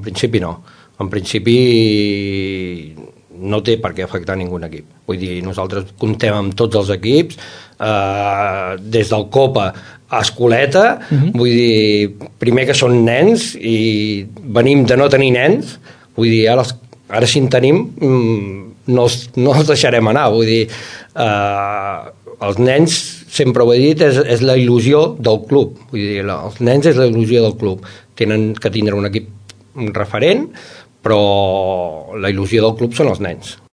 En principi no. En principi no té per què afectar ningú equip. Vull dir, nosaltres comptem amb tots els equips, des del Copa a Escoleta, vull dir, primer que són nens i venim de no tenir nens, vull dir, ara si en tenim no els deixarem anar, vull dir, els nens, sempre ho he dit, és la il·lusió del club, vull dir, els nens és la il·lusió del club, tenen que tindre un equip referent, però la il·lusió del club són els nens.